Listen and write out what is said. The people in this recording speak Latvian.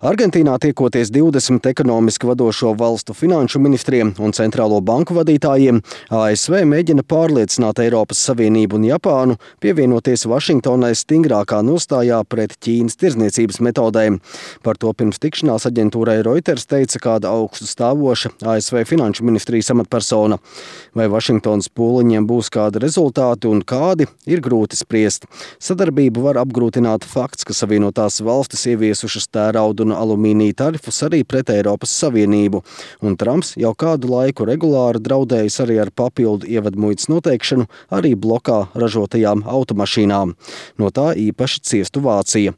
Argentīnā tiekoties 20 ekonomiski vadošo valstu finanšu ministriem un centrālo banku vadītājiem, ASV mēģina pārliecināt Eiropas Savienību un Japānu pievienoties Vašingtonai stingrākā nostājā pret Ķīnas tirdzniecības metodēm. Par to pirms tikšanās aģentūrai Reuters teica kāda augstu stāvoša ASV finanšu ministrijas amatpersona. Vai Vašingtonas pūliņiem būs kādi rezultāti un kādi, ir grūti spriest. Sadarbību var apgrūtināt fakts, ka Savienotās valstis ieviesušas tērauda un alumīnija tarifus arī pret Eiropas Savienību, un Trumps jau kādu laiku regulāri draudējis arī ar papildu ievadmuitas noteikšanu arī blokā ražotajām automašīnām. No tā īpaši ciestu Vācija.